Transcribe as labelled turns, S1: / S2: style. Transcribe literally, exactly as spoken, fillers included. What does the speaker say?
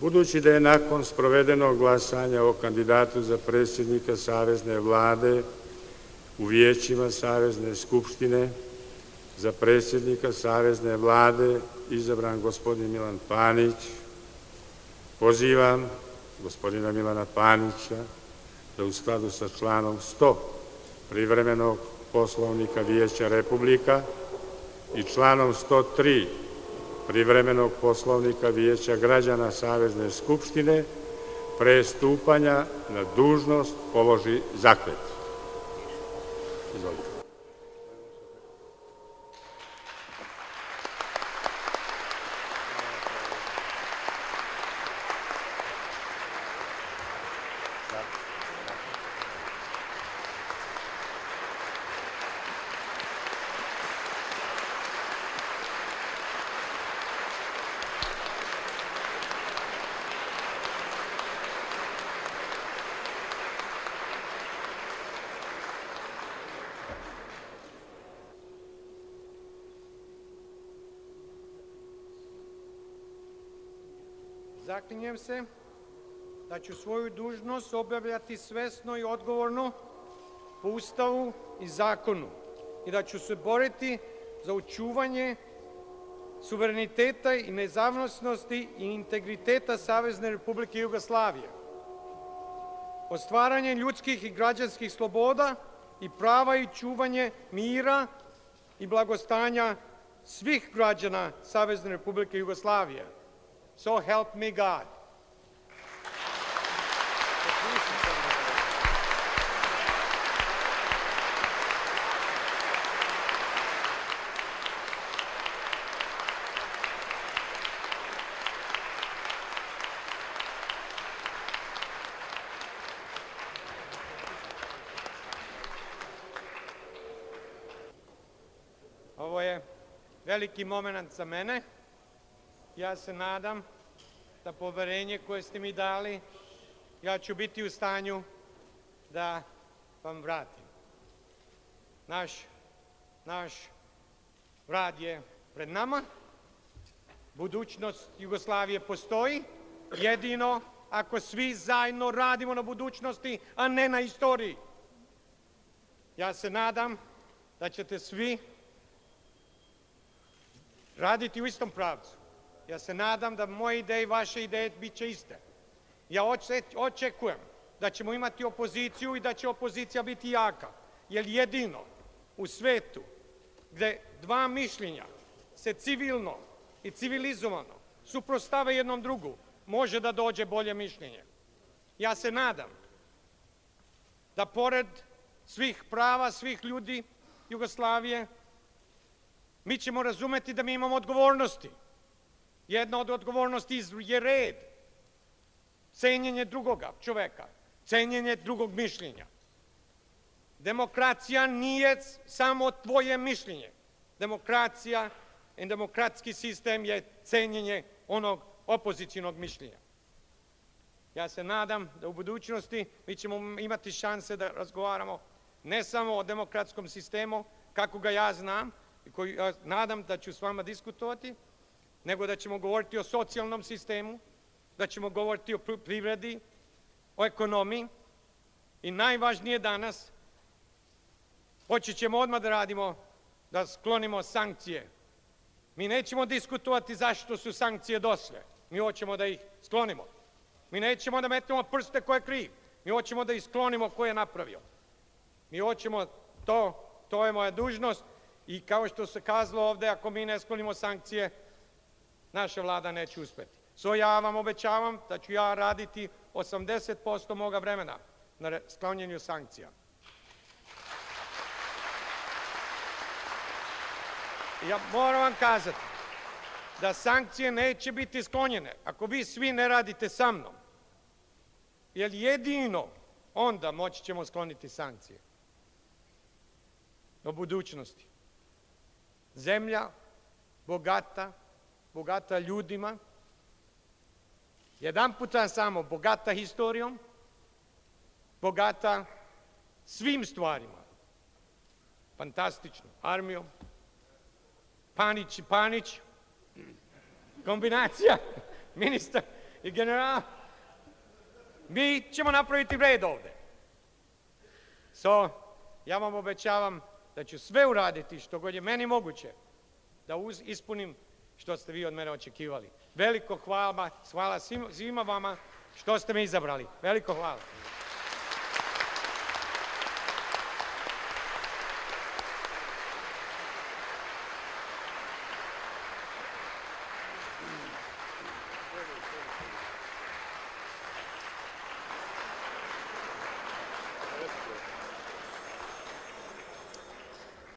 S1: Budući da je nakon sprovedenog glasanja o kandidatu za predsjednika Savezne vlade u vijećima Savezne skupštine za predsjednika Savezne vlade izabran gospodin Milan Panić, pozivam gospodina Milana Panića da u skladu sa članom sto privremenog Poslovnika Vijeća Republika i članom sto tri privremenog Poslovnika Vijeća građana Savezne skupštine pre stupanja na dužnost položi zakletvu. Izvolite.
S2: Zaklinjem se da ću svoju dužnost obavljati svesno i odgovorno po Ustavu i zakonu i da ću se boriti za očuvanje suvereniteta i nezavisnosti i integriteta Savezne Republike Jugoslavije, ostvaranje ljudskih i građanskih sloboda i prava i čuvanje mira i blagostanja svih građana Savezne Republike Jugoslavije. So help me God. Ovo je veliki moment za mene. Ja se nadam da poverenje koje ste mi dali, ja ću biti u stanju da vam vratim. Naš, naš rad je pred nama. Budućnost Jugoslavije postoji jedino ako svi zajedno radimo na budućnosti, a ne na istoriji. Ja se nadam da ćete svi raditi u istom pravcu. Ja se nadam da moje ideje i vaše ideje bit će iste. Ja očekujem da ćemo imati opoziciju i da će opozicija biti jaka. Jer jedino u svetu gde dva mišljenja se civilno i civilizovano suprotstave jednom drugu, može da dođe bolje mišljenje. Ja se nadam da pored svih prava, svih ljudi Jugoslavije, mi ćemo razumeti da mi imamo odgovornosti. Jedna od odgovornosti je red, cenjenje drugoga čoveka, cenjenje drugog mišljenja. Demokracija nije samo tvoje mišljenje. Demokracija i demokratski sistem je cenjenje onog opozicijnog mišljenja. Ja se nadam da u budućnosti mi ćemo imati šanse da razgovaramo ne samo o demokratskom sistemu, kako ga ja znam, i koji ja nadam da ću s vama diskutovati, nego da ćemo govoriti o socijalnom sistemu, da ćemo govoriti o privredi, o ekonomiji i najvažnije danas, počet ćemo odmah da radimo, da sklonimo sankcije. Mi nećemo diskutovati zašto su sankcije došle, mi hoćemo da ih sklonimo. Mi nećemo da metnemo prste ko je kriv, mi hoćemo da ih sklonimo ko je napravio. Mi hoćemo to, to je moja dužnost i kao što se kazalo ovde, ako mi ne sklonimo sankcije, naša vlada neće uspeti. So ja vam obećavam da ću ja raditi osamdeset posto moga vremena na sklonjenju sankcija. Ja moram vam kazati da sankcije neće biti sklonjene ako vi svi ne radite sa mnom. Jer jedino onda moći ćemo skloniti sankcije. Do budućnosti. Zemlja bogata, bogata ljudima, jedan puta samo bogata historijom, bogata svim stvarima, fantastično, armijom, Panić i Panić, kombinacija, ministar, i general, mi ćemo napraviti red ovde. So, ja vam obećavam da ću sve uraditi što god je meni moguće da uz, ispunim što ste vi od mene očekivali. Veliko hvala, hvala svima vama što ste me izabrali. Veliko hvala.